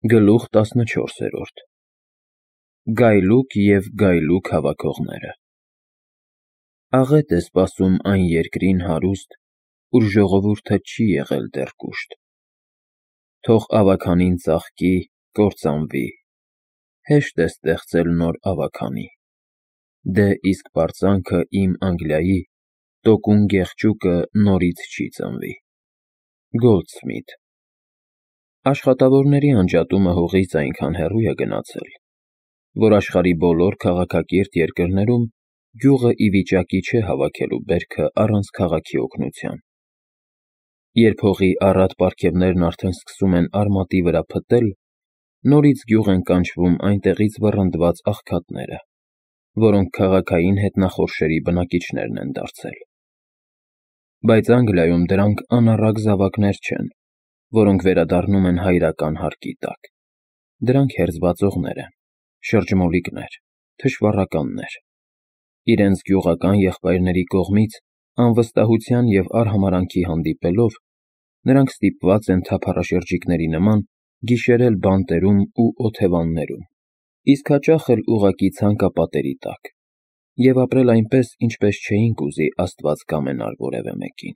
Գլուխ 14 Գայլուկ և գայլուկ հավաքողները Աղետ է սպասում այն երկրին հարուստ, ուր ժողովուրդը չի եղել դեռ կուշտ: Թող ավագանին ծաղկի, կործանվի, հեշտ է ստեղծել նոր ավագանի: Դե իսկ պարծանքը իմ Անգլիայի, տոկուն գեղջուկը նորից չի ծնվի: Գոլդսմիթ Աշխատավորների անջատումը հողից այնքան հեռու է գնացել, որ աշխարհի բոլոր քաղաքակիրթ երկրներում գյուղը ի վիճակի չէ հավաքելու բերքը առանց քաղաքի օգնության: Երբ հողի առատ պարգևներն արդեն սկսում են արմատի վրա փտել, նորից գյուղ են կանչվում այնտեղից վռնդված աղքատները, որոնք քաղաքային հետնախորշերի բնակիչներն են դարձել: Բայց Անգլիայում դրանք անառակ զավակներ չեն, որոնք վերադառնում են հայրական հարկի տակ: Դրանք հերձվածողներ են, շրջմոլիկներ, թշվառականներ: Իրենց գյուղական եղբայրների կողմից անվստահության և արհամարհանքի հանդիպելով, նրանք ստիպված են թափառաշրջիկների նման գիշերել բանտերում ու օթևաններում, իսկ հաճախ էլ ուղղակի ցանկապատերի տակ և ապրել այնպես, ինչպես չէին կուզի Աստված կամենար որևէ մեկին: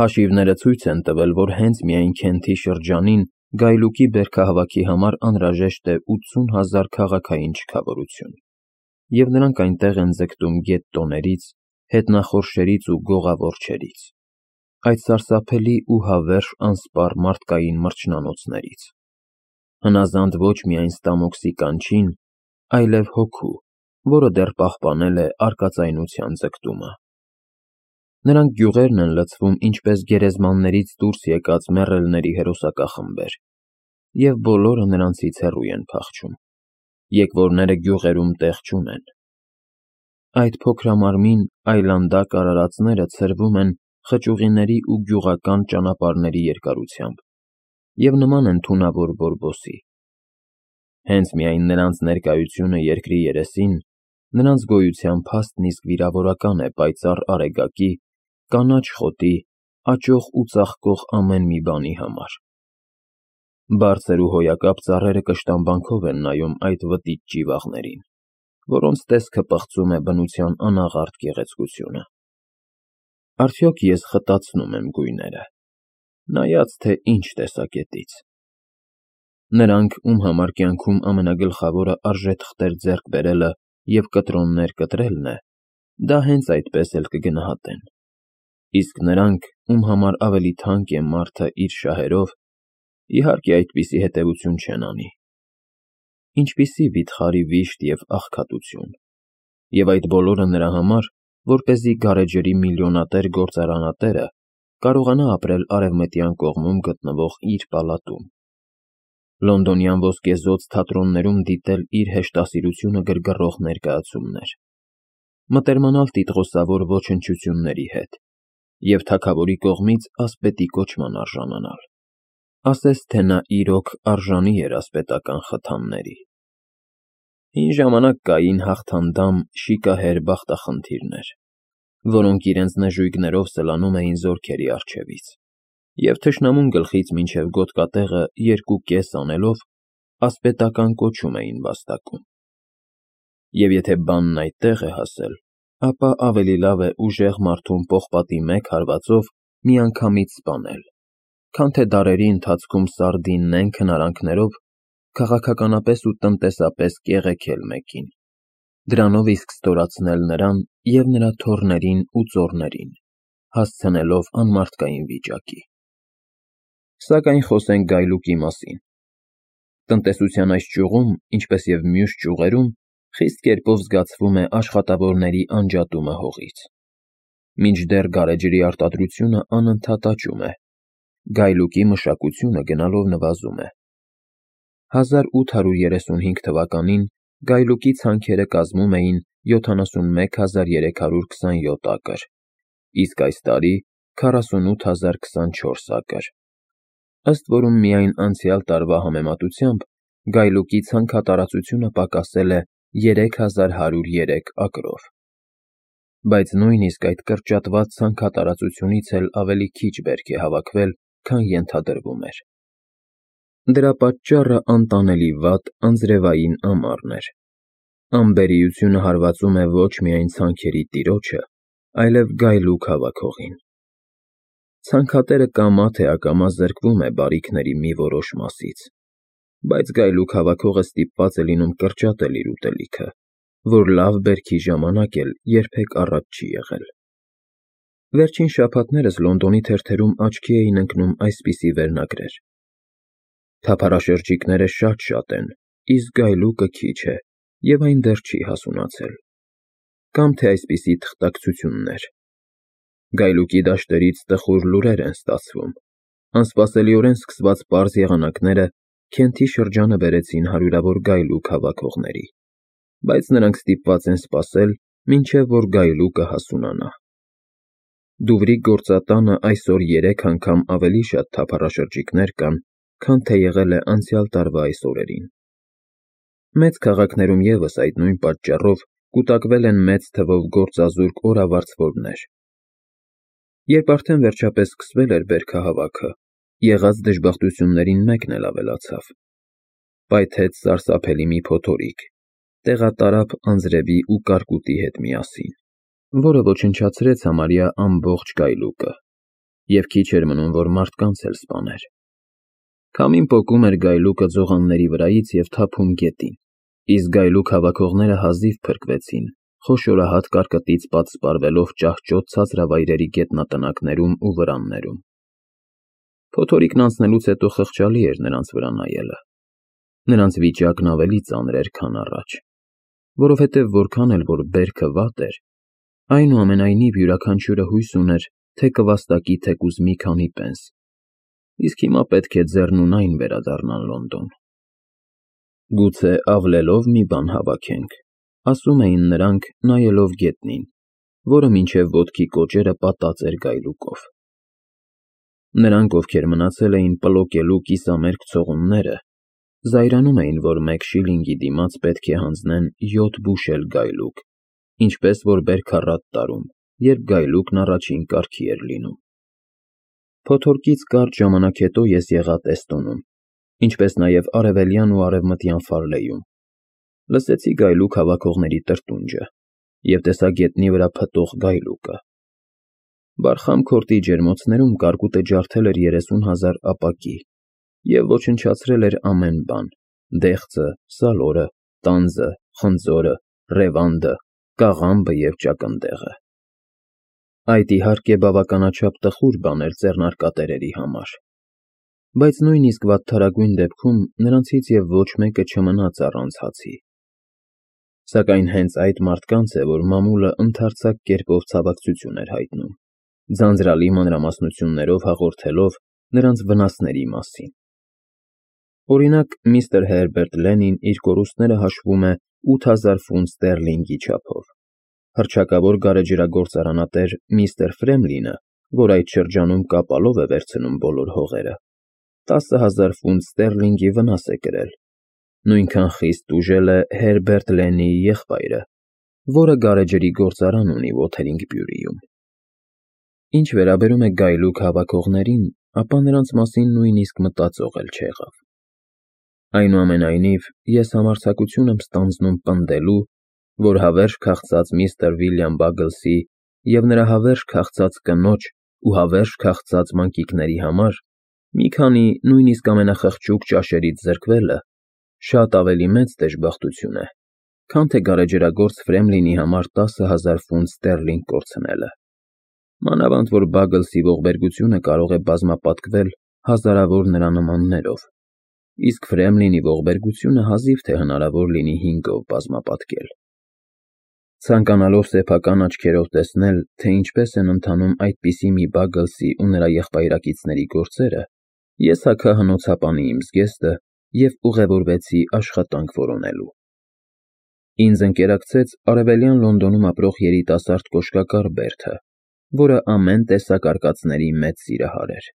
Հաշիվները ցույց են տվել, որ հենց միայն Քենթի շրջանին գայլուկի բերքահավաքի համար անհրաժեշտ է 80,000 քաղաքային չքավորություն, և նրանք այնտեղ են ձգտում գետտոներից, հետնախորշերից ու գողավորչերից, այդ սարսափելի ու հավերժ անսպառ մարդկային մրջնանոցներից: Հնազանդ ոչ միայն ստամոքսի կանչին, այլև հոգու, որը դեռ պահպանել է արկածայնության ձգտումը: Նրանք գյուղերն են լցվում ինչպես գերեզմաններից դուրս եկած մեռելների հերոսակախմբեր, և բոլորը նրանցից հեռու են փախչում: Եկվորները գյուղերում տեղ չունեն: Այդ փոքրամարմին, այլանդակ արարածները ցրվում են խճուղիների ու գյուղական ճանապարհների երկարությամբ և նման են թունավոր բորբոսի: Հենց միայն նրանց ներկայությունը երկրի երեսին, նրանց գոյության փաստն իսկ վիրավորական է պայծառ արեգակի, կանաչ խոտի, աճող ու ծաղկող ամեն մի բանի համար: Բարձր ու հոյակապ ծառերը կշտամբանքով են նայում այդ վտիչ ճիվաղներին, որոնց տեսքը պղծում է բնության անաղարտ գեղեցկությունը: Արդյոք ես խտացնո՞ւմ եմ գույները, նայած թե ինչ տեսակետից: Նրանք, ում համար կյանքում ամենագլխավորը արժեթղթեր ձեռք բերելը և կտրոններ կտրելն է, դա հենց այդպես էլ կգնահատեն: Իսկ նրանք, ում համար ավելի թանկ է մարդը իր շահերով, իհարկե այդպիսի հետևություն չեն անի: Ինչպիսի վիթխարի վիշտ և աղքատություն: Եվ այդ բոլորը նրա համար, որպեսզի գարեջրի միլիոնատեր գործարանատերը կարողանա ապրել արևմտյան կողմում գտնվող իր պալատում: Լոնդոնյան ոսկեզօծ թատրոններում դիտել իր հեշտասիրությունը գրգռող ներկայացումներ, մտերմանալ տիտղոսավոր ոչնչությունների հետ և թագավորի կողմից ասպետի կոչման արժանանալ: Ասես թե նա իրոք արժանի էր ասպետական խթանների: Հին ժամանակ կային հաղթանդամ, շիկահեր բախտախնդիրներ, որոնք իրենց նժույգներով սլանում էին զորքերի առջևից և թշնամուն գլխից մինչև գոտկատեղը 2 կես անելով, ասպետական կոչում էին վաստակում: Եվ եթե բանն այդտեղ է հասել, ապա ավելի լավ է ուժեղ մարդուն պողպատի մեկ հարվածով միանգամից սպանել, քան թե դարերի ընթացքում սարդիննեն քնարանքներով քաղաքականապես ու տնտեսապես կեղեքել մեկին, դրանով իսկ ստորացնել նրան և նրա թոռներին ու ծոռներին, հասցնելով անմարդկային վիճակի: Սակայն խոսենք գայլուկի մասին: Տնտեսության այս ճյուղում, ինչպես և մյուս ճյուղերում, խիստ կերպով զգացվում է աշխատավորների անջատումը հողից: Մինչդեռ գարեջրի արտադրությունը անընդհատ աճում է, գայլուկի մշակությունը գնալով նվազում է: 1835 թվականին գայլուկի ցանքերը կազմում էին 71327 ակր, իսկ այս տարի 48024 ակր, ըստ որում միայն անցյալ տարվա համեմատությամբ գայլուկի ցանքատարածությունը պակասել է 3103 ակրով: Բայց նույնիսկ այդ կրճատված ցանքատարածությունից էլ ավելի քիչ բերք է հավաքվել, քան ենթադրվում էր: Դրա պատճառը անտանելի վատ անձրևային ամառն էր։ Անբերիությունը հարվածում է ոչ միայն ցանքերի տիրոջը, այլև գայլուկ հավաքողին։ Ցանքատերը կամա թե ակամա զրկվում է բարիքների մի որոշ մասից, բայց գայլուկ հավաքողը ստիպված է լինում կրճատել իր ուտելիքը, որ լավ բերքի ժամանակ էլ երբեք առատ չի եղել։ Վերջին շաբաթներս Լոնդոնի թերթերում աչքի էին ընկնում այսպիսի վերնագրեր. Թափառաշրջիկները շատ են, իսկ գայլուկը քիչ է, և այն դեռ չի հասունացել։ Կամ թե այսպիսի թղթակցություններ. Գայլուկի դաշտերից տխուր լուրեր են ստացվում, անսպասելիորեն սկսված պարզ եղանակները Քենթի շրջանը բերեցին հարյուրավոր գայլուկ հավաքողների, բայց նրանք ստիպված են սպասել, մինչև որ գայլուկը հասունանա։ Դուվրի գործատանը այսօր 3 անգամ ավելի շատ թափառաշրջիկներ կան, քան թե եղել է անցյալ տարվա այս օրերին։ Մեծ քաղաքներում ևս այդ նույն պատճառով կուտակվել են մեծ թվով գործազուրկ օրավարձվորներ։ Երբ արդեն վերջապես սկսվել էր բերքահավաքը, եղած դժբախտություններին մեկն էլ ավելացավ։ Պայթեց սարսափելի մի փոթորիկ, տեղատարափ անձրևի ու կարկուտի հետ միասին, որը ոչնչացրեց համարյա ամբողջ գայլուկը, և քիչ էր մնում, որ մարդկանց էլ սպաներ։ Քամին պոկում էր գայլուկը ձողանների վրայից և թափում գետին, իսկ գայլուկ հավաքողները հազիվ փրկվեցին, խոշորահատ կարկտից պատսպարվելով ճահճոտ ցածրավայրերի գետնատնակներում ու վրաններում։ Փոթորիկն անցնելուց հետո խղճալի էր նրանց վրա նայելը։ Նրանց վիճակն ավելի ծանր էր, քան առաջ, որովհետև որքան էլ որ բերքը վատ էր, այնուամենայնիվ յուրաքանչյուրը հույս ուներ, թե կվաստակի թեկուզ մի քանի պենս, իսկ հիմա պետք է ձեռնունայն վերադառնան Լոնդոն։ Գուցե ավլելով մի բան հավաքենք, ասում էին նրանք, նայելով գետնին, որը մինչև ոտքի կոճերը պատած էր գայլուկով։ Նրանք, ովքեր մնացել էին պլոկելու կիսամերկ ցողունները, զայրանում էին, որ 1 շիլինգի դիմաց պետք է հանձնեն 7 բուշել գայլուկ, ինչպես որ բերքառատ տարում, երբ գայլուկն առաջին կարգի էր լինում։ Փոթորկից կարճ ժամանակ հետո ես եղա Տեստոնում, ինչպես նաև արևելյան ու արևմտյան Ֆարլեյում։ Լսեցի գայլուկ հավաքողների տրտունջը և տեսա գետնի վրա փտող գայլուկը։ Բարխամ քորտի ջերմոցներում կարկուտը ջարդել էր 30,000 ապակի և ոչնչացրել էր ամեն բան՝ դեղձը, սալորը, տանձը, խնձորը, ռևանդը, կաղամբը և ճակնդեղը։ Այդ իհարկե բավականաչափ տխուր բան էր ձեռնարկատերերի համար, բայց նույնիսկ վատթարագույն դեպքում նրանցից և ոչ մեկը չմնաց առանց հացի։ Սակայն հենց այդ մարդկանց է, որ մամուլը ընդարձակ կերպով ցավակցություն էր հայտնում, ձանձրալի մանրամասնություններով հաղորդելով նրանց վնասների մասին։ Օրինակ, միստր Հերբերտ Լենին իր կորուստները հաշվում է 8000 ֆունտ ստերլինգի չափով։ Հռչակավոր գարեջրագործարանատեր միստր Ֆրեմլինը, որ այդ շրջանում կապալով է վերցնում բոլոր հողերը, 10,000 ֆունտ ստերլինգի վնաս է կրել։ Նույնքան խիստ տուժել է Հերբերտ Լենիի եղբայրը, որը գարեջրի գործարան ունի Ոթերինգբյուրիում։ Ինչ վերաբերում է գայլուկ հավաքողներին, ապա նրանց մասին նույնիսկ մտածող էլ չեղավ։ Այնուամենայնիվ, ես համարձակություն եմ ստանձնում պնդելու, որ հավերժ քաղցած միստր Վիլյամ Բագլսի և նրա հավերժ քաղցած կնոջ ու հավերժ քաղցած մանկիկների համար մի քանի նույնիսկ ամենախղճուկ ճաշերից զրկվելը շատ ավելի մեծ դժբախտություն է, քան թե գարեջրագործ Ֆրեմլինի համար 10,000 ֆունտ ստերլինգ կորցնելը։ Մանավանդ որ Բագլսի ողբերգությունը կարող է բազմապատկվել հազարավոր նրա նմաններով, իսկ Ֆրեմլինի ողբերգությունը հազիվ թե հնարավոր լինի 5-ով բազմապատկել։ Ցանկանալով սեփական աչքերով տեսնել, թե ինչպես են ընթանում այդպիսի մի Բագլսի ու նրա եղբայրակիցների գործերը, ես հագա հնոցապանի իմ զգեստը և ուղևորվեցի աշխատանք որոնելու։ Ինձ ընկերակցեց արևելյան Լոնդոնում ապրող երիտասարդ կոշկակար բերդը, որը ամեն տեսակ արկածների մեծ սիրահար էր։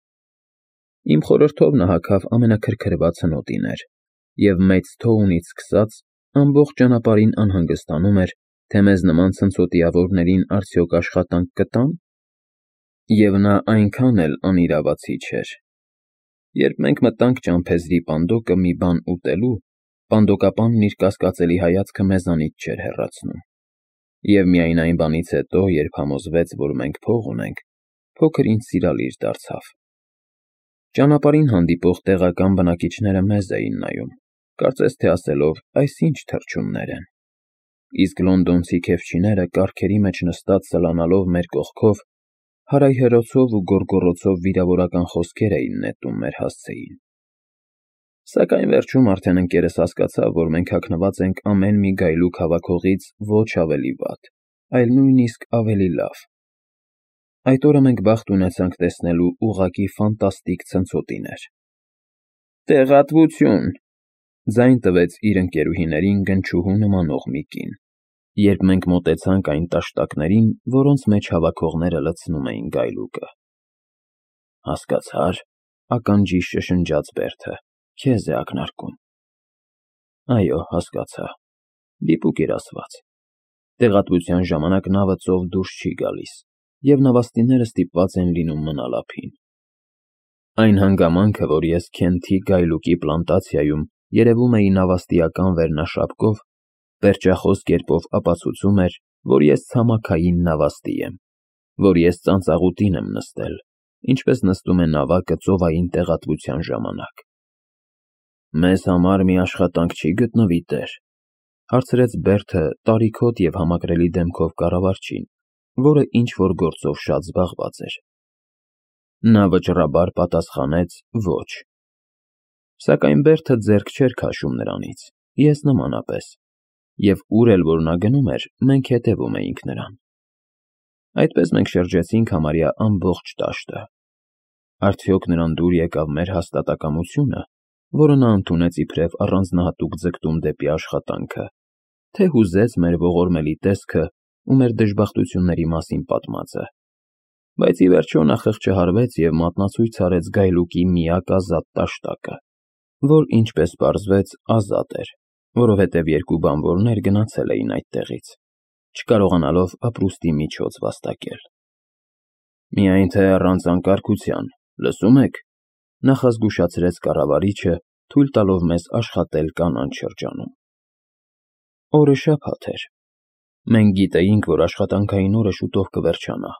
Իմ խորհրդով նա հագավ ամենաքրքրված հնոտիներ և մեծ թոունից սկսած ամբողջ ճանապարհին անհանգստանում էր, թե մեզ նման ցնցոտիավորներին արդյոք աշխատանք կտա՞ն։ Եվ նա այնքան էլ անիրավացի չէր։ Երբ մենք մտանք ճամփեզի պանդոկը մի բան ուտելու, պանդոկապանն իր կասկածելի հայացքը մեզանից չէր հեռացնում։ Եվ միայն այն բանից հետո, երբ համոզվեց, որ մենք փող ունենք, փոքր ինձ սիրալիր դարձավ։ Ճանապարհին հանդիպող տեղական բնակիչները մեզ էին նայում, կարծես թե ասելով, այս ինչ թռչուններ են։ Իսկ լոնդոնցի քեֆչիները կառքերի մեջ նստած սլանալով մեր կողքով, հարայհերոցով ու գոռգոռոցով վիրավորական խոսքեր էին նետում մեր հասցեին։ Սակայն վերջում արդեն ընկերս հասկացավ, որ մենք հագնված ենք ամեն մի գայլուկ հավաքողից ոչ ավելի վատ, այլ նույնիսկ ավելի լավ։ Այդ օրը մենք բախտ ունեցանք տեսնելու ուղղակի ֆանտաստիկ ցնցոտիներ։ Տեղատվություն, ձայն տվեց իր ընկերուհիներին գնչուհու նմանող մի կին, երբ մենք մոտեցանք այն տաշտակներին, որոնց մեջ հավաքողները լցնում էին գայլուկը։ Հասկացա՞ր, ականջիս շշնջաց Բերթը, քեզ է ակնարկում։ Այո, հասկացա, դիպուկ էր ասված։ Տեղատվության ժամանակ նավը ծով դուրս չի գալիս, և նավաստիները ստիպված են լինում մնալ ափին։ Այն հանգամանքը, որ ես Քենթի գայլուկի պլանտացիայում երևում էի նավաստիական վերնաշապկով, պերճախոս կերպով ապացուցում էր, որ ես ցամաքային նավաստի եմ, որ ես ծանծաղուտին եմ նստել, ինչպես նստում է նավակը ծովային տեղատվության ժամանակ։ Մեզ համար մի աշխատանք չի գտնվի, տեր, հարցրեց Բերթը տարիքոտ և համակրելի դեմքով կառավարչին, որը ինչ-որ գործով շատ զբաղված էր։ Նա վճռաբար պատասխանեց ոչ։ Սակայն Բերթը ձեռք չէր քաշում նրանից, ես նմանապես, և ուր էլ որ նա գնում էր, մենք հետևում էինք նրան։ Այդպես մենք շրջեցինք համարյա ամբողջ դաշտը։ Արդյոք նրան դուր եկավ մեր հաստատակամությունը, որը նա ընդունեց իբրև առանձնահատուկ ձգտում դեպի աշխատանքը, թե հուզեց մեր ողորմելի տեսքը ու մեր դժբախտությունների մասին պատմածը, բայց ի վերջո նա խղճահարվեց և մատնացույց արեց գայլուկի միակ ազատ տաշտակը, որ, ինչպես պարզվեց, ազատ էր, որովհետև երկու բանվորներ գնացել էին այդտեղից, չկարողանալով ապրուստի միջոց վաստակել։ Միայն թե առանց անկարգության, լսում եք, նախազգուշացրեց կառավարիչը, թույլ տալով մեզ աշխատել կանաչ շրջանում։ Օրը շաբաթ էր։ Մենք գիտեինք, որ աշխատանքային օրը շուտով կվերջանա,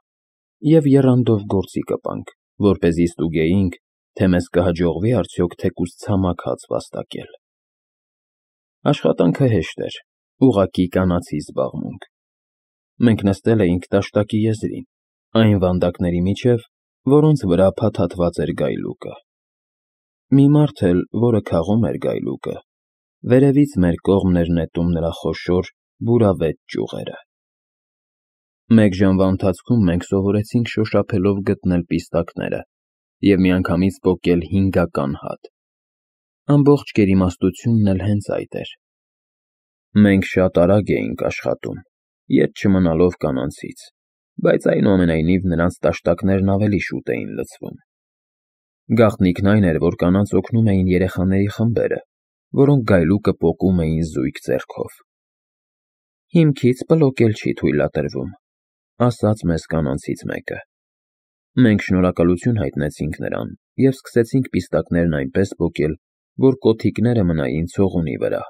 և եռանդով գործի կպանք, որպեսզի ստուգեինք, թե մեզ կհաջողվի արդյոք թեկուզ ցամաք հաց վաստակել։ Աշխատանքը հեշտ էր, ուղղակի կանացի զբաղմունք։ Մենք նստել էինք տաշտակի եզրին, այն վանդակների միջև, որոնց վրա փաթաթված էր գայլուկը։ Մի մարդ էլ, որը քաղում էր գայլուկը, վերևից մեր կողմն էր նետում նրա խոշոր, բուրավետ ճյուղերը։ Մեկ ժամվա ընթացքում մենք սովորեցինք շոշափելով գտնել պիստակները և միանգամից պոկել 5-ական հատ։ Ամբողջ գերիմաստությունն էլ հենց այդ էր։ Մենք շատ արագ էինք աշխատում, ետ չմնալով կանանցից, բայց այնուամենայնիվ նրանց տաշտակներն ավելի շուտ էին լցվում։ Գաղտնիքն այն էր, որ կանանց օգնում էին երեխաների խմբերը, որոնք գայլուկը պոկում էին զույգ ձեռքով։ Հիմքից պլոկել չի թույլատրվում, ասաց մեզ կանանցից մեկը։ Մենք շնորհակալություն հայտնեցինք նրան և սկսեցինք պիստակներն այնպես պոկել, որ կոթիկները մնային ցողունի վրա։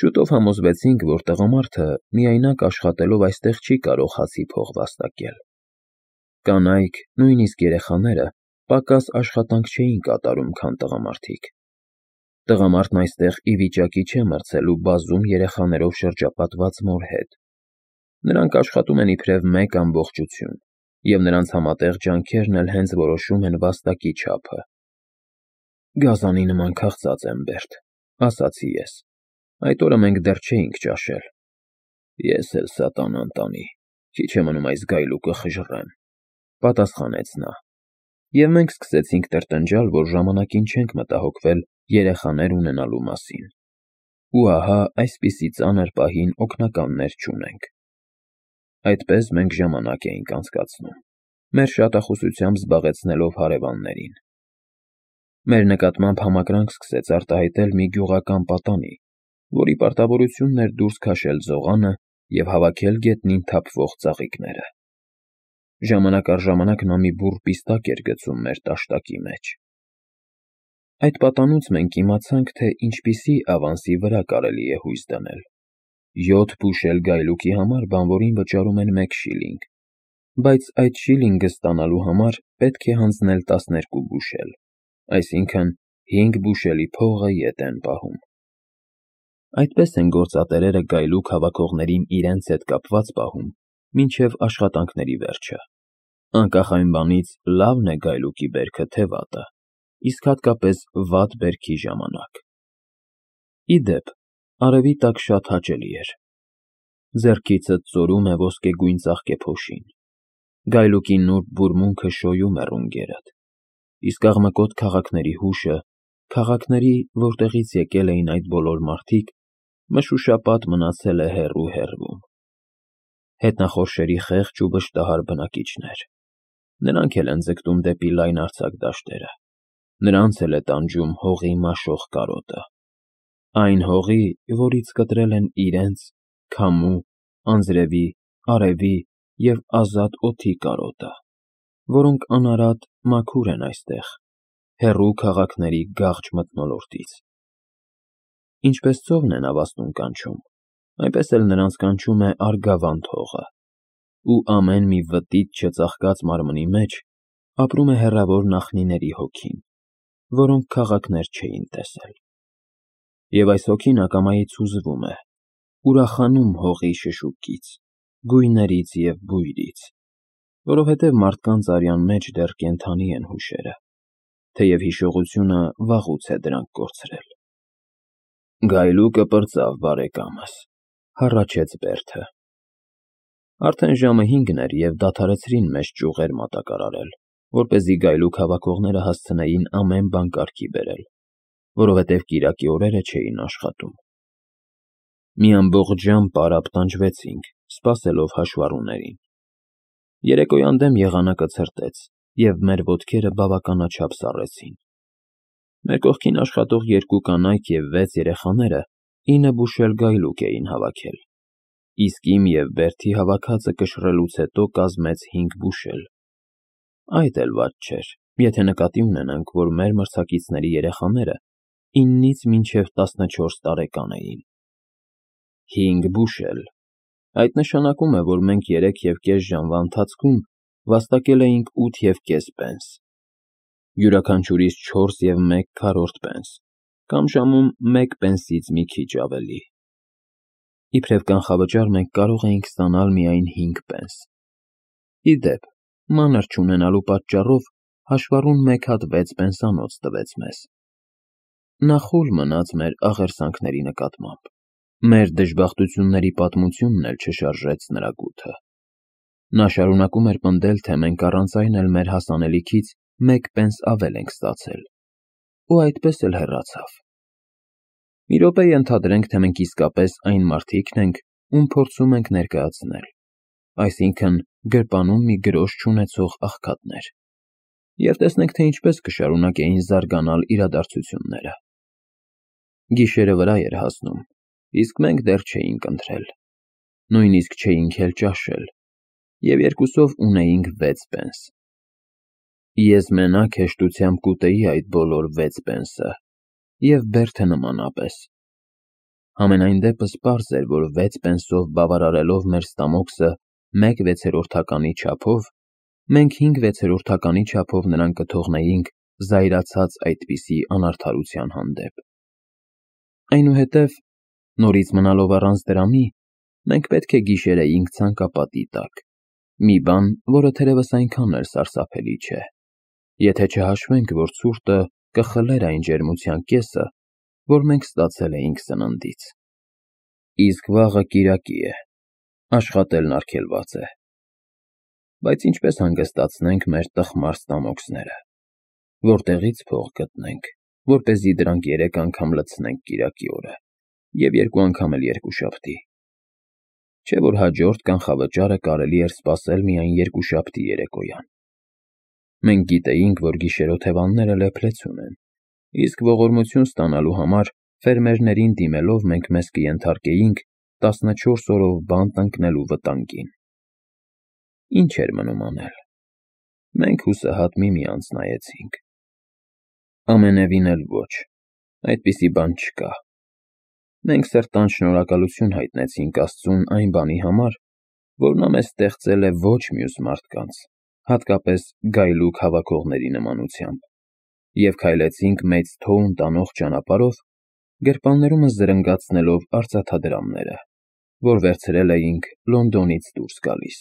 Շուտով համոզվեցինք, որ տղամարդը միայնակ աշխատելով այստեղ չի կարող հացի փող վաստակել։ Կանայք, նույնիսկ երեխաները, պակաս աշխատանք չէին կատարում, քան տղամարդիկ։ Տղամարդն այստեղ ի վիճակի չէ մրցելու բազում երեխաներով շրջապատված մոր հետ։ Նրանք աշխատում են իբրև մեկ ամբողջություն, և նրանց համատեղ ջանքերն էլ հենց որոշում են վաստակի չափը։ Գազանի նման քաղցած եմ, Բերտ, ասացի ես։ Այդ օրը մենք դեռ չէինք ճաշել։ Ես էլ սատանան տանի, քիչ է մնում այս գայլուկը խժռեմ, պատասխանեց նա։ Եվ մենք սկսեցինք տրտնջալ, որ ժամանակին չենք մտահոգվել երեխաներ ունենալու մասին։ Ու ահա այսպիսի ծանր պահին օգնականներ չունենք։ Այդպես մենք ժամանակ էինք անցկացնում, մեր շատախոսությամբ զբաղեցնելով հարևաններին։ Մեր նկատմամբ համակրանք սկսեց արտահայտել մի գյուղական պատանի, որի պարտավորությունն էր դուրս քաշել ձողանը և հավաքել գետնին թափվող ծաղիկները։ Ժամանակ առ ժամանակ նա մի բուռ պիստակ էր գցում մեր տաշտակի մեջ։ Այդ պատանուց մենք իմացանք, թե ինչպիսի ավանսի վրա կարելի է հույս դնել։ 7 բուշել գայլուկի համար բանվորին վճարում են 1 շիլինգ, բայց այդ շիլինգը ստանալու համար պետք է հանձնել 12 բուշել, այսինքն 5 բուշելի փողը ետ են պահում։ Այդպես են գործատերերը գայլուկ հավաքողներին իրենց հետ կապված պահում, մինչև աշխատանքների վերջը։ Անկախ այն բանից լավն է գայլուկի բերքը թե վատը, իսկ հատկապես վատ բերքի ժամանակ։ Ի դեպ, արևի տակ շատ հաճելի էր։ Ձեռքիցդ ծորում է ոսկեգույն ծաղկեփոշին։ Գայլուկի նուրբ բուրմունքը շոյում է ռունգերդ, իսկ աղմկոտ քաղաքների հուշը, քաղաքների, որտեղից եկել էին այդ բոլոր մարդիկ, մշուշապատ մնացել է հեռու։ Հետնախորշերի խեղճ ու վշտահար բնակիչներ։ Նրանք էլ են ձգտում դեպի լայնարձակ դաշտերը, նրանց էլ է տանջում հողի մաշող կարոտը։ Այն հողի, որից կտրել են իրենց, քամու, անձրևի, արևի և ազատ օդի կարոտը, որոնք անարատ մաքուր են այստեղ, հեռու քաղաքների գաղջ մթնոլորտից։ Ինչպես ծովն է նավաստուն կանչում, այնպես էլ նրանց կանչում է Արգավանդ հողը, ու ամեն մի վտիտ չծաղկած մարմնի մեջ ապրում է հեռավոր նախնիների հոգին, որոնք քաղաքներ չէին տեսել։ Եվ այս հոգին ակամայից հուզվում է, ուրախանում հողի շշուկից, գույներից և բույրից, որովհետև մարդկանց արյան մեջ դեռ կենդանի են հուշերը, թեև հիշողությունը վաղուց է դրանք կորցրել։ Գայլուկը պրծավ, բարեկամս, հառաչեց Բերդը։ Արդեն ժամը 5 էր և դադարեցրին մեծ ճյուղեր մատակարարել, որպեսզի գայլուկ հավաքողները հասցնեին ամեն բան կարգի բերել, որովհետև կիրակի օրերը չէին աշխատում։ Մի ամբողջ ժամ պարապ տանջվեցինք, սպասելով հաշվառուներին։ Երեկոյան դեմ եղանակը ցրտեց, և մեր ոտքերը բավականաչափ սառեցին։ Մեր կողքին աշխատող 2 կանայք և 6 երեխաները 9 բուշել գայլուկ էին հավաքել, իսկ իմ և Բերդի հավաքածը կշռելուց հետո կազմեց 5 բուշել։ Այդ էլ վատ չէր, եթե նկատի ունենանք, որ մեր մրցակիցների երեխաները 9-ից մինչև 14 տարեկան էին։ 5 բուշել։ Այդ նշանակում է, որ մենք 3.5 ժամվա ընթացքում վաստակել էինք 8.5 պենս, յուրաքանչյուրիս 4.1/4 պենս, կամ ժամում 1 պենսից մի քիչ ավելի։ Իբրև կանխավճար մենք կարող էինք ստանալ միայն 5 պենս։ Ի դեպ, մանր չունենալու պատճառով հաշվառուն 1 հատ 6 պենսանոց տվեց մեզ։ Նա խուլ մնաց մեր աղերսանքների նկատմամբ։ Մեր դժբախտությունների պատմությունն էլ չշարժեց նրա գութը։ Նա շարունակում էր պնդել, թե մենք առանց այն էլ մեր հասանելիքից 1 պենս ավել ենք ստացել, ու այդպես էլ հեռացավ։ Մի րոպե ենթադրենք, թե մենք իսկապես այն մարդիկն ենք, ում փորձում ենք ներկայացնել, այսինքն գրպանում մի գրոշ չունեցող աղքատներ, և տեսնենք, թե ինչպես կշարունակեին զարգանալ իրադարձությունները։ Գիշերը վրա էր հասնում, իսկ մենք դեռ չէինք ընթրել, նույնիսկ չէինք էլ ճաշել, և երկուսով ունեինք 6 պենս։ Ես մենակ հեշտությամբ կուտեի այդ բոլոր 6 պենսը, և Բերդը նմանապես։ Համենայն դեպս պարզ էր, որ 6 պենսով բավարարելով մեր ստամոքսը 1/6-ականի չափով, մենք 5/6-ականի չափով նրան կթողնեինք զայրացած այդպիսի անարդարության հանդեպ։ Այնուհետև, նորից մնալով առանց դրամի, մենք պետք է գիշերեինք ցանկապատի տակ, մի բան, որը թերևս այնքան էլ սարսափելի չէ, եթե չհաշվենք, որ ցուրտը կխլեր այն ջերմության կեսը, որ մենք ստացել էինք սննդից։ Իսկ վաղը կիրակի է, աշխատելն արգելված է։ Բայց ինչպես հանգստացնենք մեր տխմար ստամոքսները, որտեղի՞ց փող գտնենք, որպեսզի դրանք 3 անգամ լցնենք կիրակի օրը, և 2 անգամ էլ երկուշաբթի։ Չէ՞ որ հաջորդ կանխավճարը կարելի էր սպասել միայն երկուշաբթի երեկոյան։ Մենք գիտեինք, որ գիշերօթևանները լեփլեցուն են, իսկ ողորմություն ստանալու համար ֆերմերներին դիմելով մենք մեզ կենթարկեինք 14 օրով բանտ ընկնելու վտանգին։ Ինչ էր մնում անել։ Մենք հուսահատ միմյանց նայեցինք։ Ամենևին էլ ոչ, այդպիսի բան չկա։ Մենք սրտանց շնորհակալություն հայտնեցինք Աստծուն այն բանի համար, որ նա մեզ ստեղծել է ոչ մյուս մարդկանց, հատկապես գայլուկ հավաքողների նմանությամբ, և քայլեցինք մեծ թոուն տանող ճանապարհով, գրպաններումս զրնգացնելով արծաթադրամները, որ վերցրել էինք Լոնդոնից դուրս գալիս։